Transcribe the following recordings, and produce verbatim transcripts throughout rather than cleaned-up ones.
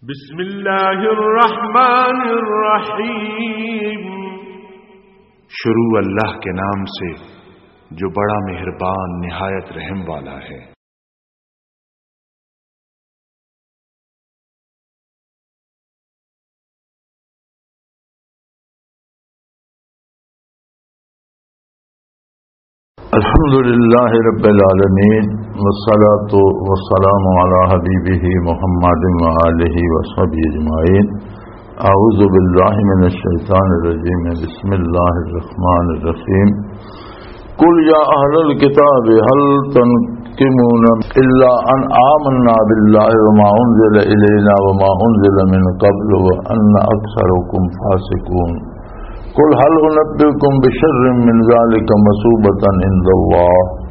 بسم اللہ الرحمن الرحیم۔ شروع اللہ کے نام سے جو بڑا مہربان نہایت رحم والا ہے۔ الحمد لله رب العالمين، والصلاة والسلام على حبيبه محمد وآله وصحبه أجمعين. أعوذ بالله من الشيطان الرجيم. بسم الله الرحمن الرحيم. قل يا أهل الكتاب هل تنقمون إلا أن آمنا بالله وما أنزل إلينا وما أنزل من قبل وأن أكثركم فاسقون. قل هل أنبئكم بشر من ذلك مثوبة عند الله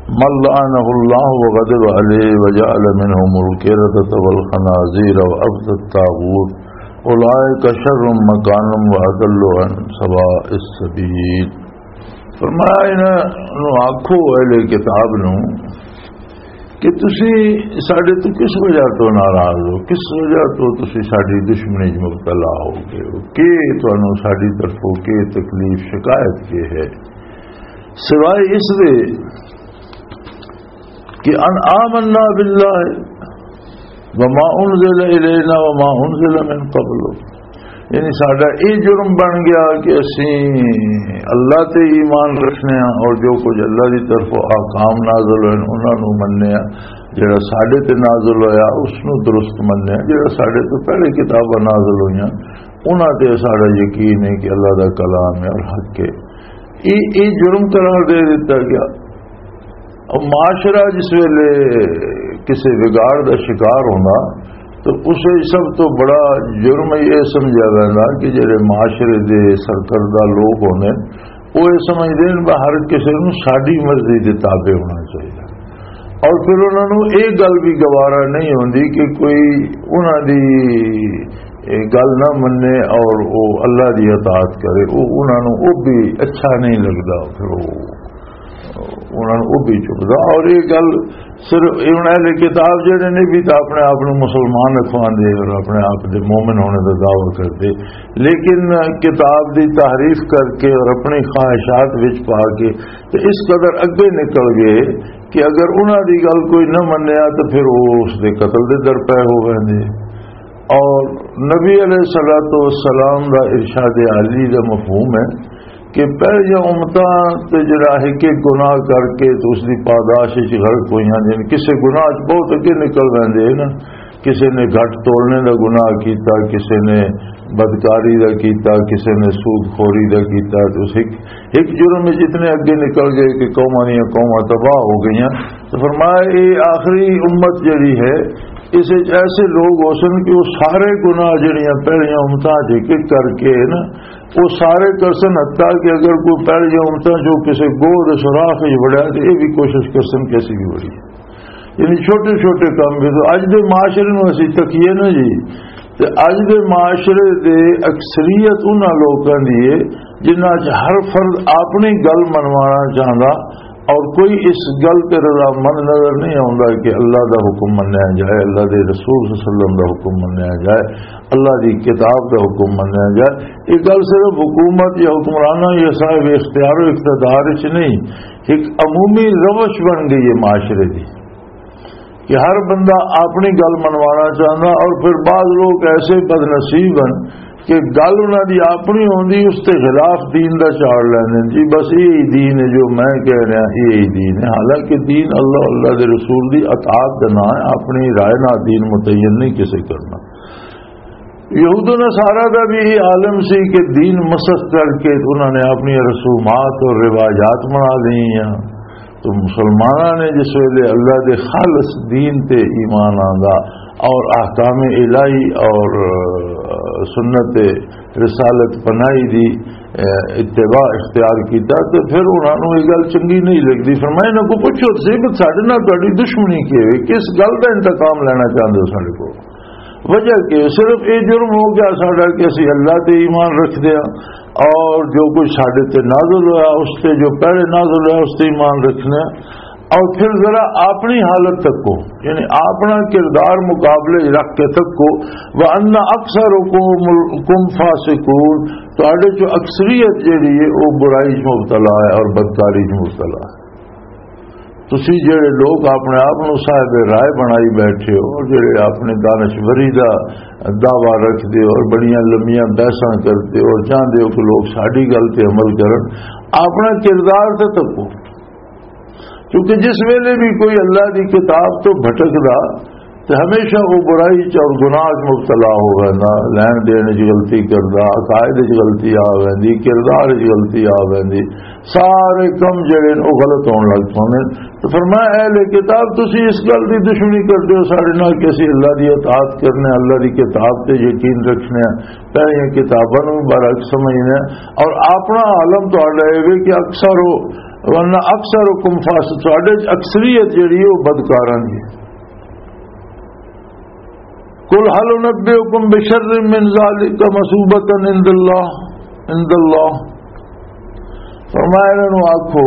من لعنه الله وغضب عليه وجعل منهم القردة والخنازير وعبد الطاغوت أولئك شر مكانا وأضل عن سواء السبيل. فرمایا، انہاں نوں آکھو، اہل کتاب نوں، کہ تسی ساڈے تو کس وجہ تو ناراض ہو؟ کس وجہ تو تسی ساڈی دشمنی وچ مبتلا ہو گئے ہو؟ کہ تانوں ساڈی طرفوں کہ تکلیف، شکایت کی ہے؟ سوائے اس دے کہ ان آمنا باللہ وما انزل الینا وما انزل من قبل، یعنی ساڈا یہ جرم بن گیا کہ اسی اللہ تے ایمان رکھنے ہاں اور جو کچھ اللہ دی طرف احکام نازل ہوئے انہاں نوں مننے ہاں، جڑا ساڈے تے نازل ہویا اس نوں درست مننے ہاں، جڑا ساڈے تو پہلے کتاباں نازل ہوئیاں انہاں تے ساڈا یقین ہے کہ اللہ دا کلام ہے اور حق ہے۔ یہ یہ جرم قرار دے دتا گیا۔ اور معاشرہ جس ویلے کسی وگاڑ دا شکار ہوندا تو اسے سب تو بڑا جرم یہ سمجھا ویندا کہ جڑے معاشرے دے سرکردہ لوگ ہوندے، وہ یہ سمجھدے نے، "بس ہر کسی نوں ساڈی مرضی دے تابع ہونا چاہیے۔" اور پھر انہاں نوں یہ گل بھی گوارا نہیں ہوندی کہ کوئی انہاں دی یہ گل نہ مننے اور وہ اللہ دی اطاعت کرے، وہ انہاں نوں وہ بھی اچھا نہیں لگدا۔ پھر وہ انہاں نوں وہ بھی چبدا۔ اور یہ گل صرف انہاں اہل کتاب جڑے نے بھی تو اپنے آپ نوں مسلمان اکھواندے اور اپنے آپ دے مومن ہونے دا دعویٰ کردے، لیکن کتاب دی تحریف کر کے اور اپنی خواہشات وچ پا کے تے اس قدر اگے نکل گئے کہ اگر انہاں دی گل کوئی نہ منیا تو پھر وہ اس دے قتل دے در پے ہو ویندے۔ اور نبی علیہ الصلوۃ والسلام دا ارشاد عالی دا مفہوم ہے کہ پہلیاں امتاں تے جڑا ہے کہ گناہ کر کے تے اس دی پاداش وچ غرق ہوئیاں، یعنی کسے گناہ وچ بہت اگے نکل ویندے ہیں نا، کسے نے گھٹ توڑنے دا گناہ کیتا، کسے نے بدکاری دا کیتا، کسے نے سود خوری دا کیتا، تے اس ایک، ایک جرم وچ اتنے اگے نکل گئے کہ قوماں دیاں قوماں تباہ ہو گئیاں۔ تو فرمایا، یہ آخری امت جڑی ہے، اس وچ ایسے لوگ ہو سن کہ وہ سارے گناہ جڑیاں پہلیاں امتاں چ ایک ایک کر کے نا، وہ سارے کرسن، حتیٰ کہ اگر کوئی پہلیاں امتاں چ کسی گوہ دے سوراخ وچ وڑیا تو یہ بھی کوشش کرسن کیسی بھی وڑی۔ یعنی چھوٹے چھوٹے کام بھی۔ تو اج دے معاشرے نوں اسی تکیے نا جی، تے اج دے معاشرے دے اکثریت انہاں لوکاں دی ہے جنہاں چ ہر فرد اپنی گل منوانا چاہندا اور کوئی اس گل تے رضامند نظر نہیں آوندا کہ اللہ دا حکم منیا جائے، اللہ دے رسول صلی اللہ علیہ وسلم دا حکم منیا جائے، اللہ دی کتاب دا حکم منیا جائے۔ یہ گل صرف حکومت یا حکمرانوں یا صاحب اختیار و اقتدار وچ نہیں، ایک عمومی روش بن گئی ہے معاشرے دی کہ ہر بندہ اپنی گل منوانا چاہندا۔ اور پھر بعض لوگ ایسے بدنصیب ہیں کہ گل انہاں دی اپنی ہوندی، اس تے خلاف دین دا چاڑ لیندے نے، "جی بس یہی دین ہے جو میں کہہ رہا، یہی دین ہے۔" حالانکہ دین اللہ، اللہ دے رسول دی اطاعت دا نام ہے، اپنی رائے نال دین متعین نہیں کسے کرنا۔ یہود و نصارہ دا بھی یہ عالم سی کہ دین مسخ کر کے انہاں نے اپنی رسومات اور روایات بنا لی ہیں۔ تو مسلماناں نے جس ویلے اللہ دے خالص دین تے ایمان آندا اور احکام الہی اور، آ، سنت رسالت پناہی دی، آ، اتباع اختیار کیتا تو پھر انہاں نوں یہ گل چنگی نہیں لگدی۔ فرمایا، "انہاں کو پوچھو تو صحیح، پر ساڈے نال تہاڈی دشمنی کی ہے؟ کس گل دا انتقام لینا چاہندے ہو ساڈے کول؟" وجہ کہ صرف یہ جرم ہو گیا ساڈا کہ اسی اللہ تے ایمان رکھدے ہاں اور جو کچھ ساڈے تے نازل ہویا، اس تے جو پہلے نازل ہویا، اس تے ایمان رکھنے ہاں۔ اور پھر ذرا اپنی حالت تکو، یعنی اپنا کردار مقابلے رکھ کے تکو۔ وَأَنَّ أَكْثَرَكُمْ فَاسِقُونَ، تہاڈے چوں اکثریت جیڑی ہے، وہ برائی چ مبتلا ہے اور بدکاری چ مبتلا ہے۔ تسی جڑے لوگ اپنے آپ نو صاحب رائے بنائی بیٹھے ہو، جڑے اپنے دانشوری دا دعویٰ رکھدے ہو اور بڑیاں لمیاں بحثاں کردے ہو اور چاہندے ہو کہ لوگ ساڈی گل تے عمل کرن، اپنا کردار تے تکو۔ کیونکہ جس ویلے بھی کوئی اللہ دی کتاب تو بھٹکدا تے ہمیشہ وہ برائی چ اور گناہ چ مبتلا ہو ویندا، لین دین چ غلطی کردا، عقائد چ غلطی آ ویندی، کردار چ غلطی آ ویندی، سارے کم جڑے نے وہ غلط ہون لگ پوندے نے۔ تو فرمایا، اے اہل کتاب، تسی اس گل دی دشمنی کردے ہو ساڈے نال کہ اسی اللہ دی اطاعت کرنے، اللہ دی کتاب تے یقین رکھنے، پہلیاں کتاباں نوں مبارک سمجھنے، اور اپنا عالم تہاڈا اے وے کہ اکثر ہو، ورنہ اکثر حکم فاسد، تہاڈے چ اکثریت جڑی ہے وہ بدکاراں دی ہے۔ قل هل انبئكم بشر من ذلك مثوبة عند الله، عند الله۔ فرمایا انہاں نوں آکھو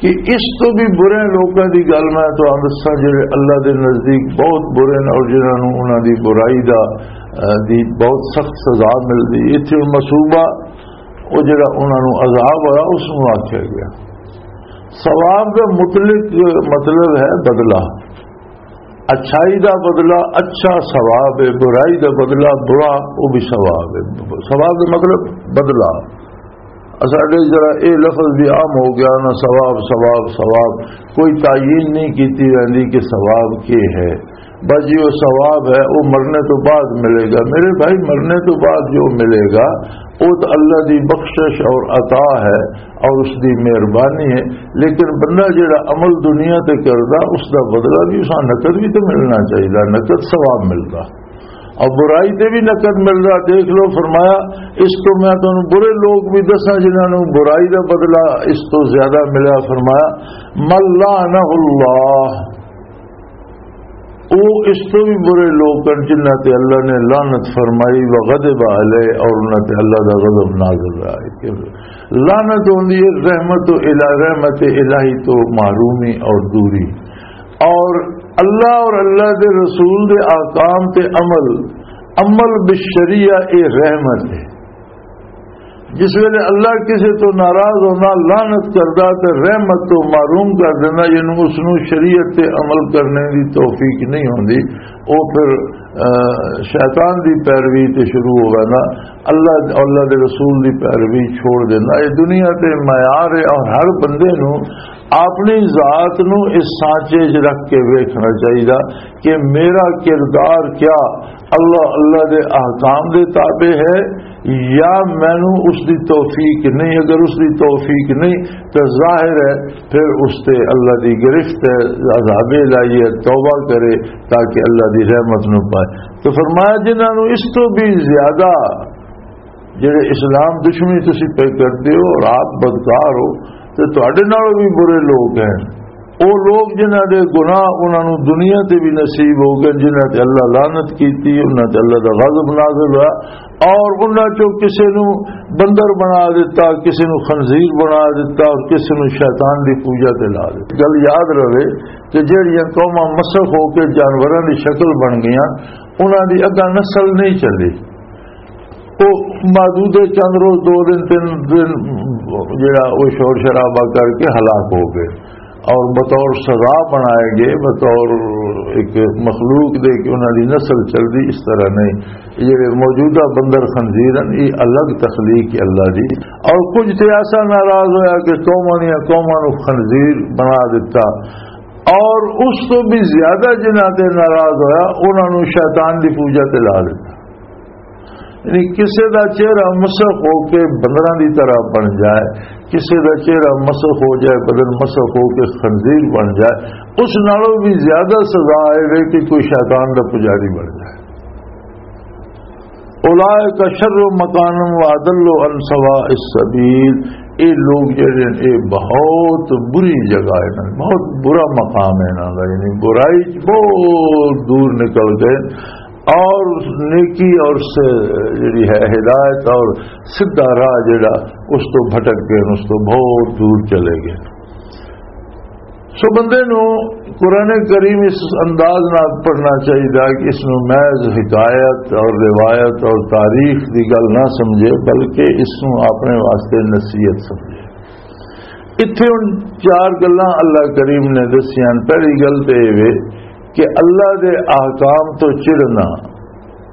کہ اس تو بھی برے لوکاں دی گل میں تو دساں جڑے اللہ دے نزدیک بہت برے نے اور جنہاں نوں انہاں دی برائی دا، اہ، دی بہت سخت سزا ملدی۔ ایتھے مثوبہ، وہ جڑا انہاں نوں عذاب ہویا، اس نوں آکھیا گیا۔ ثواب دا مطلق مطلب ہے بدلہ۔ اچھائی دا بدلہ اچھا ثواب ہے، برائی دا بدلہ برا، وہ بھی ثواب ہے۔ ثواب دا مطلب بدلہ۔ اساڈے ذرا اے لفظ بھی عام ہو گیا نا، ثواب، ثواب، ثواب۔ کوئی تعین نہیں کیتی جاندی کہ ثواب کی ہے۔ بس جی وہ ثواب ہے، وہ مرنے تو بعد ملے گا۔ میرے بھائی، مرنے تو بعد جو ملے گا، وہ تو اللہ دی بخشش اور عطا ہے اور اس دی مہربانی ہے۔ لیکن بندہ جڑا عمل دنیا تے کردا، اس دا بدلہ بھی، اس نقد بھی تو ملنا چاہیے، نقد ثواب ملدا۔ اور برائی تے بھی نقد ملدا۔ دیکھ لو، فرمایا، اس تو میں تانوں برے لوگ بھی دساں جنہاں نوں برائی دا بدلہ اس تو زیادہ ملا۔ فرمایا، من لعنہ اللہ، او اس تو بھی برے لوگ ہن جنہاں تے اللہ نے لعنت فرمائی، وغضب علیہ، اور انہاں تے اللہ دا غضب نازل ہوا۔ لعنت ہوندی ہے رحمت و الہ-، رحمت الہی تو محرومی اور دوری، اور اللہ اور اللہ دے رسول دے احکام تے عمل، عمل بالشریعہ، اے رحمت ہے۔ جس ویلے اللہ کسے تو ناراض ہوندا، لعنت کردا تے رحمت تو محروم کر دیندا، یعنی اس نوں شریعت تے عمل کرنے دی توفیق نہیں ہوندی، او پھر، آ، شیطان دی پیروی تے شروع ہو ویندا، اللہ، اللہ دے رسول دی پیروی چھوڑ دیندا۔ اے دنیا تے معیار ہے اور ہر بندے نوں اپنی ذات نوں اس سانچے 'چ رکھ کے ویکھنا چاہیدا کہ میرا کردار کیا اللہ، اللہ دے احکام دے تابع ہے یا مینوں اس دی توفیق نہیں؟ اگر اس دی توفیق نہیں تو ظاہر ہے پھر اس تے اللہ دی گرفت ہے، عذاب الہی ہے، توبہ کرے تاکہ اللہ دی رحمت نوں پائے۔ تو فرمایا، جنہاں نوں اس تو بھی زیادہ جڑے اسلام دشمنی تسی پہ کردے ہو اور آپ بدکار ہو، تے تہاڈے نالوں بھی برے لوگ ہیں۔ او لوگ جنہاں دے گناہ انہاں نوں دنیا تے بھی نصیب ہو گئے، جنہاں تے اللہ لعنت کیتی، انہاں تے اللہ دا غضب نازل ہوا، اور انہاں چوں کسے نوں بندر بنا دیتا، کسے نوں خنزیر بنا دیتا، اور کسے نوں شیطان دی پوجا تے لا دیتا۔ گل یاد رہے کہ جڑیاں قوماں مسخ ہو کے جانوراں دی شکل بن گئیاں، انہاں دی اگاں نسل نہیں چلی۔ وہ محدود چند روز، دو دن، تین دن، جڑا وہ شور شرابہ کر کے ہلاک ہو گئے، اور بطور سزا بنائے گئے، بطور ایک مخلوق دے کہ انہاں دی نسل چل دی، اس طرح نہیں۔ یہ جڑے موجودہ بندر خنزیر ہیں، یہ الگ تخلیق ہے اللہ دی۔ اور کچھ تے ایسا ناراض ہویا کہ قوماں دیاں قوماں نوں خنزیر بنا دیتا، اور اس تو بھی زیادہ جنہاں تے ناراض ہویا، انہاں نوں شیطان دی پوجا تے لا دیتا۔ یعنی کسے دا چہرہ مسخ ہو کے بندراں دی طرح بن جائے، کسے دا چہرہ مسخ ہو جائے، بدن مسخ ہو کے خنزیر بن جائے، اس نالوں بھی زیادہ سزا آئے گی کہ کوئی شیطان دا پجاری بن جائے۔ اولئک شر مکانا واضل عن سواء السبیل۔ اے لوگ جڑے نے، اے بہت بری جگہ ہے، بہت برا مقام ہے انہاں دا، یعنی برائی چ بہت دور نکل گئے۔ اور نیکی اور سے جڑی ہے ہدایت اور سیدھا راہ جڑا، اس تو بھٹک گئے، اس تو بہت دور چلے گئے۔ سو بندے نو قرآن کریم اس انداز نال پڑھنا چاہیے کہ اس نو محض حکایت اور روایت اور تاریخ دی گل نہ سمجھے، بلکہ اس نو اپنے واسطے نصیحت سمجھے۔ اتھے ہن چار گلاں اللہ کریم نے دسیاں۔ پہلی گل تے اے وے کہ اللہ دے احکام تو چڑنا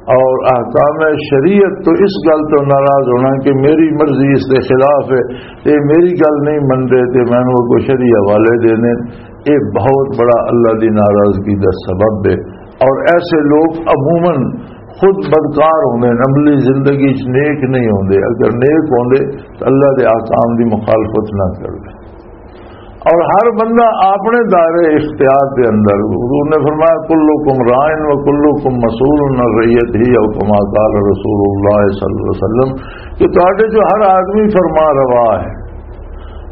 اور احکام شریعت تو اس گل تو ناراض ہونا کہ میری مرضی اس دے خلاف ہے، تے میری گل نہیں منتے، تے مینوں اگوں شرعی حوالے دینے، یہ بہت بڑا اللہ دی ناراضگی دا سبب ہے۔ اور ایسے لوگ عموماً خود بدکار ہوندے ہیں، عملی زندگی چ نیک نہیں ہوندے، اگر نیک ہوندے تو اللہ دے احکام دی مخالفت نہ کردے۔ اور ہر بندہ اپنے دائرے اختیار دے اندر، حضور نے فرمایا، "کلکم راعٍ و کلکم مسئول عن رعیتہ"، او کما قال رسول اللہ صلی اللہ علیہ وسلم، کہ تہاڈے جو ہر آدمی فرما روا ہے،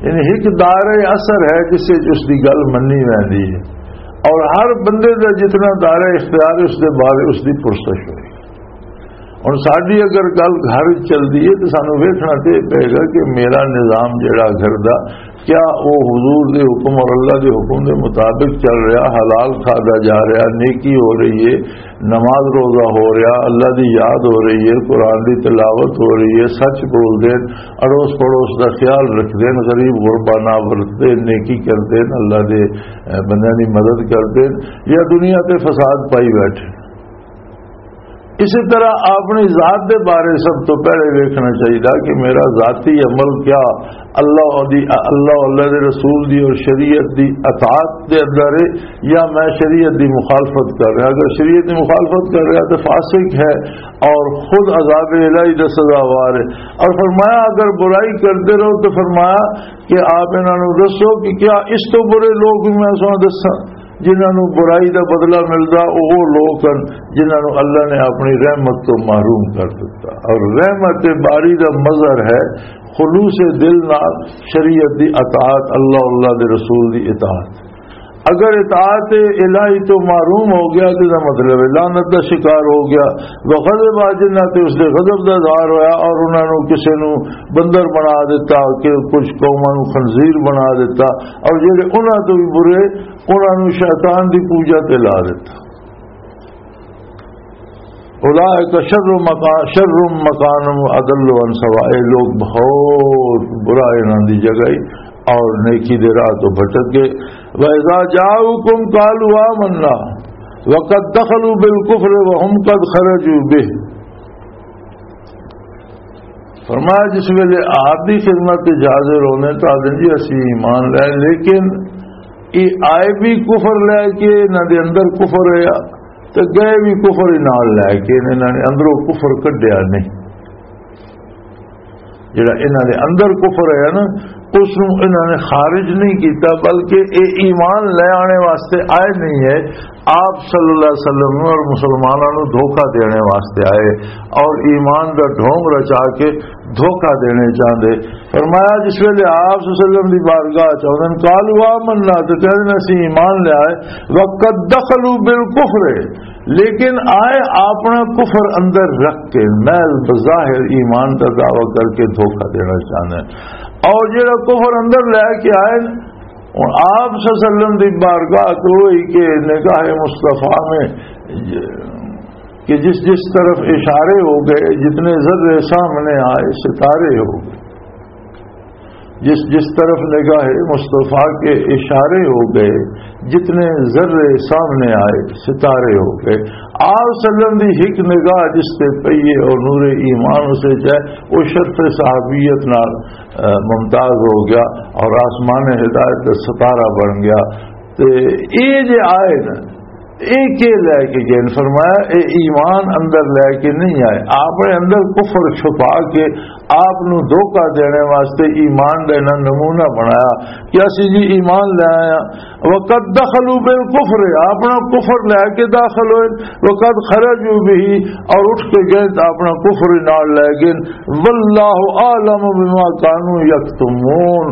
یعنی ایک دائرہ اثر ہے جس سے اس دی گل منی ویندی ہے، اور ہر بندے دا جتنا دائرہ اختیار ہے، اس دے بارے اس دی پرسش ہوئی۔ ہن ساڈی اگر گل گھر وچ چلدی ہے تے سانوں ویکھنا تے پئے گا کہ میرا نظام جڑا گھر دا، کیا او حضور دے حکم اور اللہ دے حکم دے مطابق چل رہا، حلال کھادا جا رہا، نیکی ہو رہی ہے، نماز روزہ ہو رہا، اللہ دی یاد ہو رہی ہے، قرآن دی تلاوت ہو رہی ہے، سچ بول دے، اڑوس پڑوس دا خیال رکھ دے، غریب غربا نہ ورت دے، نیکی کر دے، اللہ دے، اے، بندیاں دی مدد کر دے، یا دنیا تے فساد پائی بیٹھے۔ اسی طرح اپنی ذات دے بارے سب تو پہلے ویکھنا چاہیدا کہ میرا ذاتی عمل کیا اللہ دی، اللہ، اللہ دے رسول دی اور شریعت دی اطاعت دے اندر ہے، یا میں شریعت دی مخالفت کر رہا۔ اگر شریعت دی مخالفت کر رہا تو فاسق ہے اور خود عذاب الہی دا سزاوار ہے۔ اور فرمایا، اگر برائی کرتے رہو تو فرمایا کہ آپ انہاں نوں دسو کہ کیا اس تو برے لوگ بھی میں سو دساں؟ جنہاں نوں برائی دا بدلہ ملدا، او، او لوگ ہن جنہاں نوں اللہ نے اپنی رحمت تو محروم کر دتا۔ اور رحمت باری دا مظہر ہے خلوص دل نال شریعت دی اطاعت، اللہ، اللہ دے رسول دی اطاعت۔ اگر اطاعت الہی تو محروم ہو گیا تو دا مطلب ہے لعنت دا شکار ہو گیا۔ وغضب آ جنہاں تے اس دے غضب دا اظہار ہویا اور انہاں نوں کسے نوں بندر بنا دیتا، کہ کچھ قوماں نوں خنزیر بنا دیتا، اور جڑے انہاں تو بھی برے انہاں نوں شیطان دی پوجا تے لا دتا۔ اولئک شر مکان، شر مکان و اضل عن سواء، اے لوگ بہت برا انہاں دی جگہ ہی اور نیکی دے راہ تو بھٹک گئے۔ وَإِذَا جَاءُوكُمْ قَالُوا آمَنَّا وَقَدْ دَخَلُوا بِالْكُفْرِ وَهُمْ قَدْ خَرَجُوا بِهِ۔ فرمایا، جس ویلے آپ دی خدمت تے حاضر ہونے تو آدھے جی اسی ایمان لے، لیکن یہ آئے بھی کفر لے کے، انہاں دے اندر کفر ہے، تے گئے بھی کفر ہی نال لے کے، انہاں نے اندروں کفر کڈیا نہیں۔ جڑا انہاں دے اندر کفر ہے نا، اس نوں انہاں نے خارج نہیں کیتا، بلکہ اے ایمان لے آنے واسطے آئے نہیں ہے۔ آپ صلی اللہ علیہ وسلم نوں اور مسلماناں نوں دھوکا دینے واسطے آئے اور ایمان دا ڈھونگ رچا کے دھوکا دینے چاہندے۔ فرمایا، جس ویلے آپ صلی اللہ علیہ وسلم دی بارگاہ چ آؤندے نے، "قالوا آمنا"، تے کہندے نے، "اسی ایمان لے آئے۔" "وقد دخلوا بالکفر"، لیکن آئے اپنا کفر اندر رکھ کے، محض بظاہر ایمان دا دعویٰ کر کے دھوکا دینا چاہندے نے۔ اور جڑا کفر اندر لے کے آئے، ہن آپ صلی اللہ علیہ وسلم دی بارگاہ تو ہوئی کہ نگاہ مصطفیٰ میں کہ جس جس طرف اشارے ہو گئے، جتنے ذرے سامنے آئے، ستارے ہو گئے۔ جس جس طرف نگاہ مصطفیٰ کے اشارے ہو گئے، جتنے ذرے سامنے آئے، ستارے ہو گئے۔ آپ صلی اللہ علیہ وسلم دی ایک نگاہ جس تے پئی ہے اور نور ایمان اسے جائے، وہ شرف صحابیت نال، اے، ممتاز ہو گیا اور آسمان ہدایت کا ستارہ بن گیا۔ تے اے جے آئے نا، اے کے لے کے گئے؟ فرمایا، اے ایمان اندر لے کے نہیں آئے، آپ نے اندر کفر چھپا کے آپ نو دھوکا دینے واسطے ایمان دا انہاں نمونہ بنایا کہ اسی جی ایمان لے آیا۔ وقد دخلوا بالکفر، اپنا کفر لے کے داخل ہوئے، وقد خرجوا به، اور اٹھ کے گئے تو اپنا کفر نال لے گئے۔ واللہ اعلم بما كانوا يكتمون،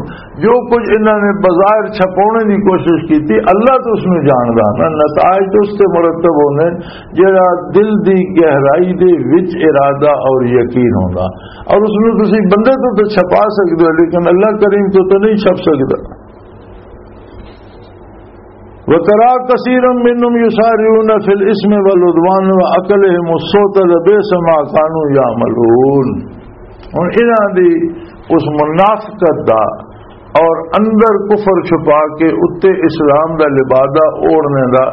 جو کچھ انہاں نے بظاہر چھپانے دی کوشش کی تھی، اللہ تو اس میں جاندا نا، نتائج تو اس سے مرتب ہونے، جڑا دل دی گہرائی دے وچ ارادہ اور یقین ہوندا۔ اور اس میں تسی بندے تو تو چھپا سکدے ہو، لیکن اللہ کریم تو تو نہیں چھپ سکدا۔ وترى كثيرا منهم يسارعون في الإثم والعدوان وأكلهم السحت لبئس ما كانوا يعملون۔ ہن انہاں دی اس منافقت دا اور اندر کفر چھپا کے اتے اسلام دا لبادہ اوڑھنے دا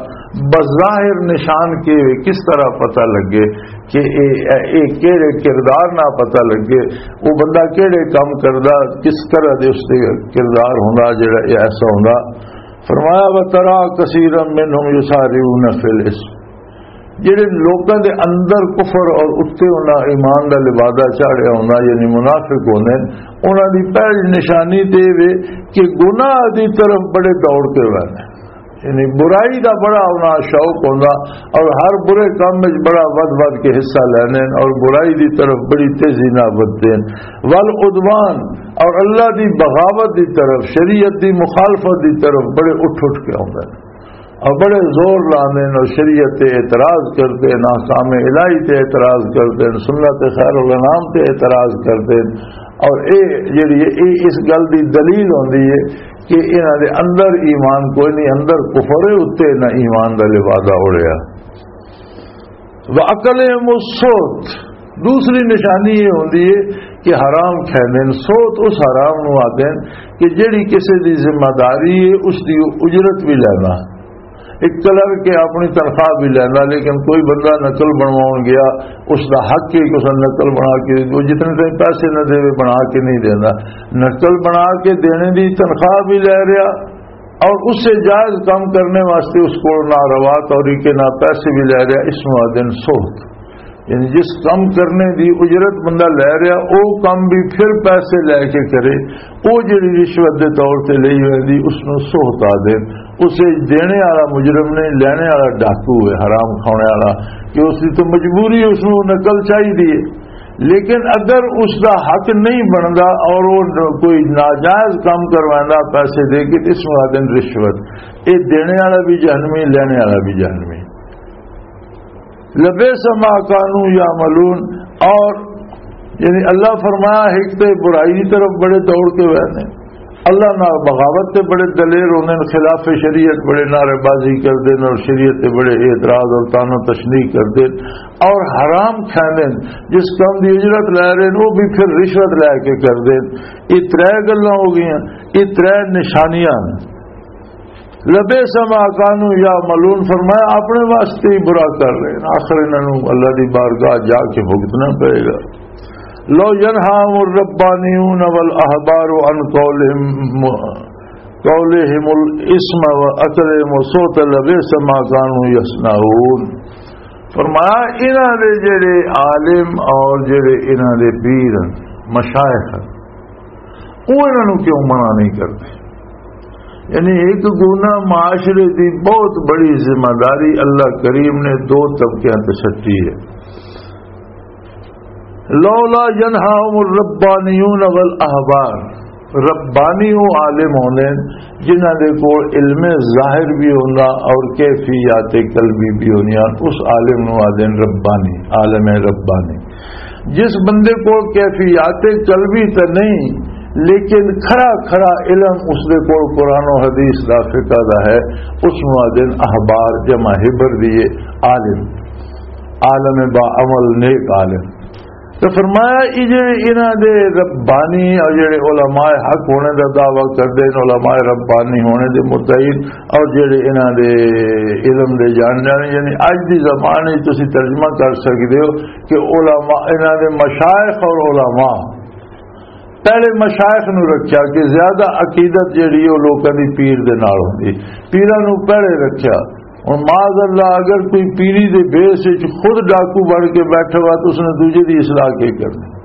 بظاہر نشان کی وے، کس طرح پتہ لگے کہ اے، اے، اے کیڑے کردار نہ پتہ لگے، وہ بندہ کیڑے کام کردا، کس طرح دے اس دے کردار ہوندا جڑا اے ایسا ہوندا۔ فرمایا، وَتَرَى كَثِيرًا مِّنْهُمْ يُسَارِعُونَ فِي الْإِثْمِ، جڑے لوکاں دے اندر کفر اور اتے انہاں ایمان دا لبادہ چاڑھیا ہوندا، یعنی منافق ہوندے نے، انہاں دی پہلی نشانی تے وے کہ گناہ دی طرف بڑے دوڑ کے ویندے، یعنی برائی دا بڑا انہاں شوق ہوندا اور ہر برے کام وچ بڑا ودھ ودھ کے حصہ لیندے نے اور برائی دی طرف بڑی تیزی نال ودھدے نے۔ والعدوان، اور اللہ دی بغاوت دی طرف، شریعت دی مخالفت دی طرف بڑے اٹھ اٹھ کے آوندے نے اور بڑے زور لاندے نے اور شریعت تے اعتراض کردے نے، احکام الہی تے اعتراض کردے نے، سنت خیر الانام تے اعتراض کردے نے۔ اور اے جڑی ہے، اے اس گل دی دلیل ہوندی ہے کہ انہاں دے اندر ایمان کوئی نہیں، اندر کفر ہے، اتے نہ ایمان دا لبادہ اڑیا۔ وَأَكَلِهِمُ السُّحْتُ، دوسری نشانی یہ ہوندی ہے کہ حرام کھاندے نے۔ سوت اس حرام نو آدے نے کہ جڑی کسے دی ذمہ داری ہے، اس دی اجرت بھی لینا۔ ایک کلرک ہے، اپنی تنخواہ بھی لینا، لیکن کوئی بندہ نقل بنواؤن گیا، اس دا حق ہے کہ اس نے نقل بنا کے، وہ جتنے تائیں پیسے نہ دے، بنا کے نہیں دینا۔ نقل بنا کے دینے دی تنخواہ بھی لے رہا، اور اس سے جائز کام کرنے واسطے اس کو ناروا طریقے نہ پیسے بھی لے رہا، اس نو آدن سوت۔ یعنی جس کام کرنے دی اجرت بندہ لے رہا، او کام بھی پھر پیسے لے کے کرے، او جڑی رشوت دے طور تے لئی ہوئی دی، اس نو سوت آدن۔ اسے دینے والا مجرم نہیں، لینے والا ڈاکو ہے، حرام کھانے والا، کہ اس دی تو مجبوری، اس نو نقل چاہیے۔ لیکن اگر اس دا حق نہیں بندا اور وہ کوئی ناجائز کام کرواندا پیسے دے کے، اس نو آدن رشوت۔ اے دینے والا بھی جہنمی، لینے والا بھی جہنمی۔ لبئس ما كانوا يعملون۔ اور یعنی اللہ فرمایا، ایک تے برائی کی طرف بڑے دوڑ کے ہوئے نے، اللہ نال بغاوت تے بڑے دلیر ہوندے نے، خلاف شریعت بڑے نعرے بازی کردے نے اور شریعت تے بڑے اعتراض اور طعن و تشنیع کردے نے اور حرام کھاندے نے، جس کام دی اجرت لے رہے نے، وہ بھی پھر رشوت لے کے کردے نے۔ یہ ترے گلاں ہو گئیاں، یہ ترے نشانیاں نے۔ لبئس ما كانوا يعملون، فرمایا اپنے واسطے ہی برا کر رہے ہیں، آخر انہاں نوں اللہ دی بارگاہ جا کے بھگتنا پئے گا۔ لو ينهاهم الربانيون والأحبار عن قولهم، قولهم الإثم وأكلهم السحت لبئس ما كانوا يصنعون۔ فرمایا انہاں دے جڑے عالم اور جڑے انہاں دے پیر ہیں، مشائخ ہیں، وہ انہاں نوں کیوں منع نہیں کرتے؟ یعنی ایک گنا معاشرے دی بہت بڑی ذمہ داری اللہ کریم نے دو طبقیاں تے سٹی ہے۔ لولا ينهاهم الربانيون والأحبار، ربانی وہ عالم ہوندے نے جنہاں دے کول علم ظاہر بھی ہوندا اور کیفیات قلبی بھی ہوندیاں، اس عالم نوں آدھے نے ربانی، عالم ربانی۔ جس بندے کول کیفیات قلبی تے نہیں، لیکن کھرا کھرا علم اس دے کول قرآن و حدیث دا، فقہ دا ہے، اس نوں آدھے نے احبار، جمع حبر دی ہے، عالم، عالم با عمل، نیک عالم۔ تو فرمایا، یہ جڑے انہاں دے ربانی اور جڑے علماء حق ہونے دا دعویٰ کردے نے، علماء ربانی ہونے دے مدعی، اور جڑے انہاں دے علم دے جان جانے، یعنی اج دی زبان وچ تسی ترجمہ کر سکدے ہو کہ علماء، انہاں دے مشائخ اور علماء، پہلے مشائخ نو رکھیا کہ زیادہ عقیدت جڑی ہے، وہ لوکاں دی پیر دے نال ہوندی، پیراں نو پہلے رکھیا۔ ہن معاذ اللہ، اگر کوئی پیری دے بیس وچ خود ڈاکو بن کے بیٹھا ہوا، تو اس نے دوجے دی اصلاح کی کرنی؟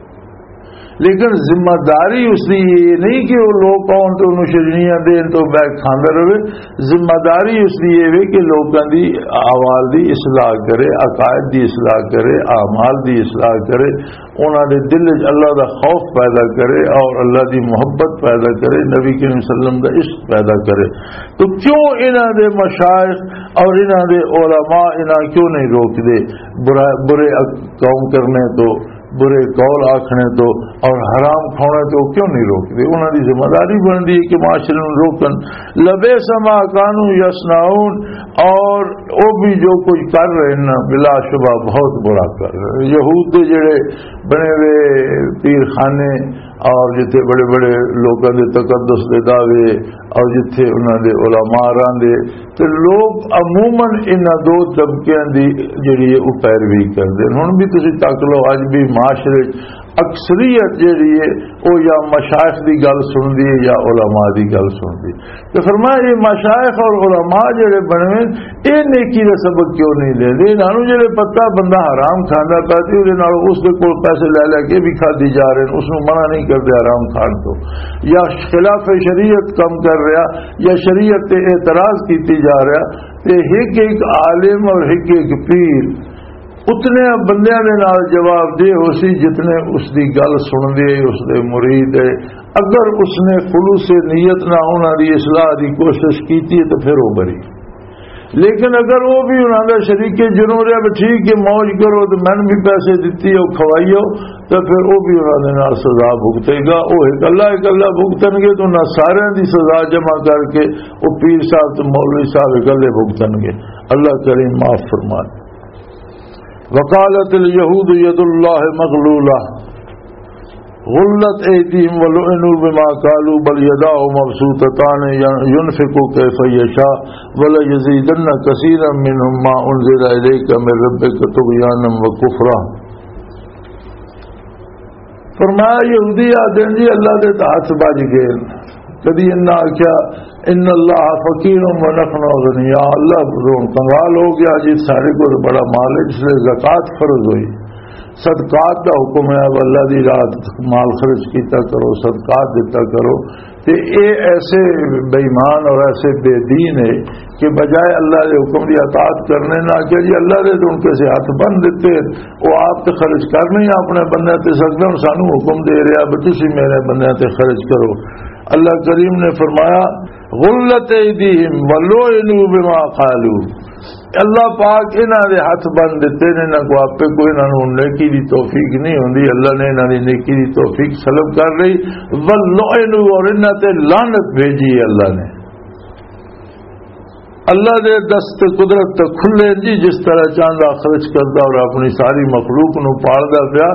لیکن ذمہ داری اس دی یہ نہیں کہ وہ لوگ آؤن تو انہوں شجنیاں دین تو بیٹھ کھاندا رہے۔ ذمہ داری اس دی یہ وے کہ لوکاں دی احوال دی اصلاح کرے، عقائد دی اصلاح کرے، اعمال دی اصلاح کرے، انہاں دے دل وچ اللہ دا خوف پیدا کرے اور اللہ دی محبت پیدا کرے، نبی کریم صلی اللہ علیہ وسلم دا عشق پیدا کرے۔ تو کیوں انہاں دے مشائخ اور انہاں دے علماء انہاں کیوں نہیں روک دے برا-، برے کام کرنے تو؟ برے قول آکھنے تو اور حرام کھانے تو کیوں نہیں روکتے؟ انہاں دی ذمہ داری بنتی ہے کہ معاشرے نوں روکن۔ لبئس ما کانوا یصنعون، اور وہ بھی جو کچھ کر رہے ہیں نا، بلا شبہ بہت برا کر رہے ہیں۔ یہود دے جڑے بنے ہوئے پیر خانے اور جتھے بڑے بڑے لوکاں دے تقدس دے دعوے اور جتھے انہاں دے علماء راندے، تے لوگ عموماً انہاں دو طبقیاں دی جڑی ہے، او پیروی کردے نے۔ ہن بھی تسی تک لو، اج بھی معاشرے وچ اکثریت جڑی ہے، او یا مشائخ دی گل سندی ہے یا علماء دی گل سندی۔ تے فرمایا، یہ مشائخ اور علماء جڑے بنے ہوئے، یہ نیکی دا سبق کیوں نہیں دے دے؟ انہاں نوں جڑے پتہ بندہ حرام کھاندا پیا تے اوہدے نال اس دے کول پیسے لے لے کے بھی کھادی جا رہے ہیں، اس نوں منع نہیں کردے حرام کھان تو، یا خلاف شریعت کم کر رہا، یا شریعت تے اعتراض کیتی جا رہا، تے ہک ہک عالم اور ہک ہک پیر اتنے بندیاں دے نال جواب دے ہو سی جتنے اس دی گل سن دے، اس دے مرید ہے۔ اگر اس نے خلوص نیت نہ انہاں دی اصلاح دی کوشش کیتی ہے تو پھر وہ بری۔ لیکن اگر وہ بھی انہاں دا شریک جرم رہا، بھی ٹھیک ہے، موج کرو تو میں بھی پیسے دتی ہو، کھوائی ہو، تو پھر وہ بھی انہاں دے نال سزا بھگتے گا۔ وہ اکلا اکلا بھگتن گے تو انہاں سارے دی سزا جمع کر کے وہ پیر صاحب تے مولوی صاحب اکلے بھگتن گے۔ اللہ کریم معاف فرمائے۔ وقالت اليهود يد الله مغلولة غلت أيديهم ولعنوا بما قالوا بل يداه مبسوطتان ينفق كيف يشاء وليزيدن كثيرا منهم ما أنزل إليك من ربك طغيانا وكفرا۔ فرمایا، یہودی آدھے جی اللہ دے تے ہاتھ بج گئے۔ کدی انہاں آکھیا، ان اللہ فقیر و نحن اغنیاء، اللہ ہن کنگال ہو گیا جی، سارے کو بڑا مال ہے، اس لیے زکوٰۃ فرض ہوئی۔ صدقات دا حکم ہے، اب اللہ دی راہ مال خرچ کیتا کرو، صدقات دیتا کرو۔ تے اے ایسے بے ایمان اور ایسے بے دین ہے کہ بجائے اللہ دے حکم دی اطاعت کرنے نہ کہ جی اللہ دے تو ان کے سے ہاتھ بند دیتے، وہ آپ تے خرچ کر نہیں اپنے بندے تے سکدے، ہن سانو حکم دے رہا بھی تسی میرے بندے تے خرچ کرو۔ اللہ کریم نے فرمایا، غلت ایدیہم ولعنوا بما قالوا، اللہ پاک انہاں دے ہاتھ بند دیتے نے، انہاں کو آپے کوئی، انہاں نوں نیکی دی توفیق نہیں ہوندی، اللہ نے انہاں دی نیکی دی توفیق سلب کر لئی۔ ولعنوا، اور انہاں تے لعنت بھیجی ہے اللہ نے۔ اللہ دے دست قدرت تے کھلے جی، جس طرح چاہندا خرچ کردا اور اپنی ساری مخلوق نوں پالدا پیا۔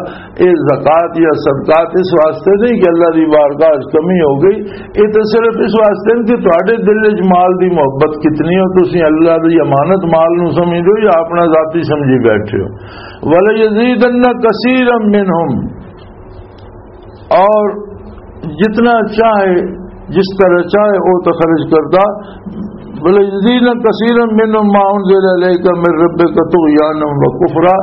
اے زکوٰۃ یا صدقات اس واسطے نہیں کہ اللہ دی بارگاہ وچ کمی ہو گئی، اے تے صرف اس واسطے نہیں کہ تہاڈے دل وچ مال دی محبت کتنی ہو، تسی اللہ دی امانت مال نوں سمجھدے ہو یا اپنا ذاتی سمجھی بیٹھے ہو۔ وَلَيَزِيدَنَّ كَثِيرًا مِّنْهُمْ، اور جتنا چاہے، جس طرح چاہے، وہ تو خرچ کرتا۔ وَلَيَزِيدَنَّ كَثِيرًا مِّنْهُمْ مَا أُنزِلَ إِلَيْكَ مِن رَّبِّكَ طُغْيَانًا وَكُفْرًا،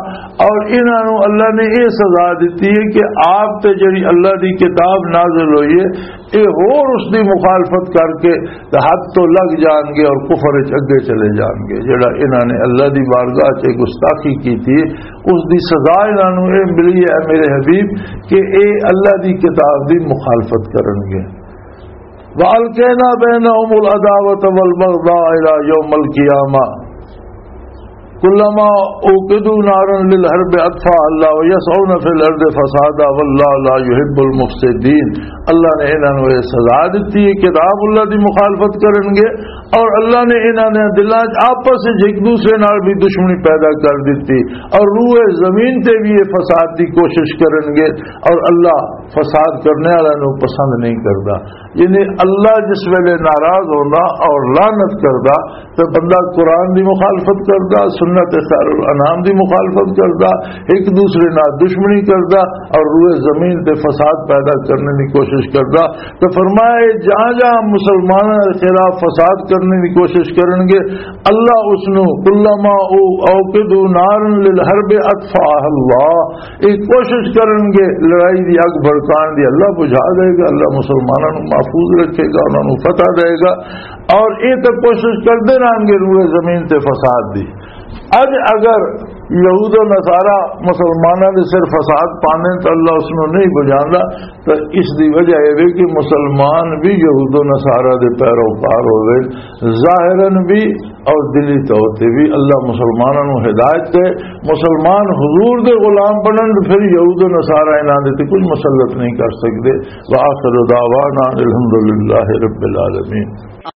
اور انہاں نوں اللہ نے یہ سزا دتی ہے کہ آپ تے جڑی اللہ دی کتاب نازل ہوئی ہے، یہ ہور اس دی مخالفت کر کے تے حد تو لگ جان گے اور کفر وچ اگے چلے جان گے۔ جڑا انہاں نے اللہ دی بارگاہ چ گستاخی کیتی ہے، اس دی سزا انہاں نوں یہ ملی ہے، اے میرے حبیب، کہ اے اللہ دی کتاب دی مخالفت کرن گے۔ وَأَلْقَيْنَا بَيْنَهُمُ الْعَدَاوَةَ وَالْبَغْضَاءَ إِلَى يَوْمِ الْقِيَامَةِ كُلَّمَا أَوْقَدُوا نَارًا لِلْحَرْبِ أَطْفَأَهَا اللَّهُ وَيَسْعَوْنَ فِي الْأَرْضِ فَسَادًا وَاللَّهُ لَا يُحِبُّ الْمُفْسِدِينَ۔ اللہ نے انہاں نوں یہ سزا دتی ہے، کتاب اللہ دی مخالفت کرن گے، اور اللہ نے انہاں دے دلاں وچ آپس وچ ایک دوسرے نال بھی دشمنی پیدا کر دتی، اور روئے زمین تے بھی یہ فساد دی کوشش کرن گے، اور اللہ فساد کرنے والوں نوں پسند نہیں کردا۔ یعنی اللہ جس ویلے ناراض ہوندا اور لعنت کردا، تے بندہ قرآن دی مخالفت کردا، سنت خیر الانام دی مخالفت کردا، ایک دوسرے نال دشمنی کردا اور روئے زمین تے فساد پیدا کرنے دی کوشش کردا۔ تے فرمایا، یہ جہاں جہاں مسلمانوں کے خلاف فساد کرنے دی کوشش کرن گے، اللہ اس نو، کلما او-، اوقدوا نارا للحرب اطفأها اللہ، یہ کوشش کرن گے لڑائی دی اگ بھڑکان دی، اللہ بجھا دے گا، اللہ مسلمانوں نو محفوظ رکھے گا، انہاں نو فتح دے گا۔ اور یہ تو کوشش کرتے رہن گے روئے زمین تے فساد دی۔ اج اگر یہود و نصارہ مسلماناں دے سر فساد پانے تے اللہ اس نوں نہیں بجاندا۔ تے اس دی وجہ اے وے کہ مسلمان بھی یہود و نصارہ دے پیروکار ہوئے، ظاہراً بھی اور دلی طور تے بھی۔ اللہ مسلماناں نوں ہدایت دے، مسلمان حضور دے غلام بنن، پھر یہود و نصارہ انہاں دے تے کچھ مسلط نہیں کر سکدے۔ وآخر دعوانا الحمدللہ رب العالمین۔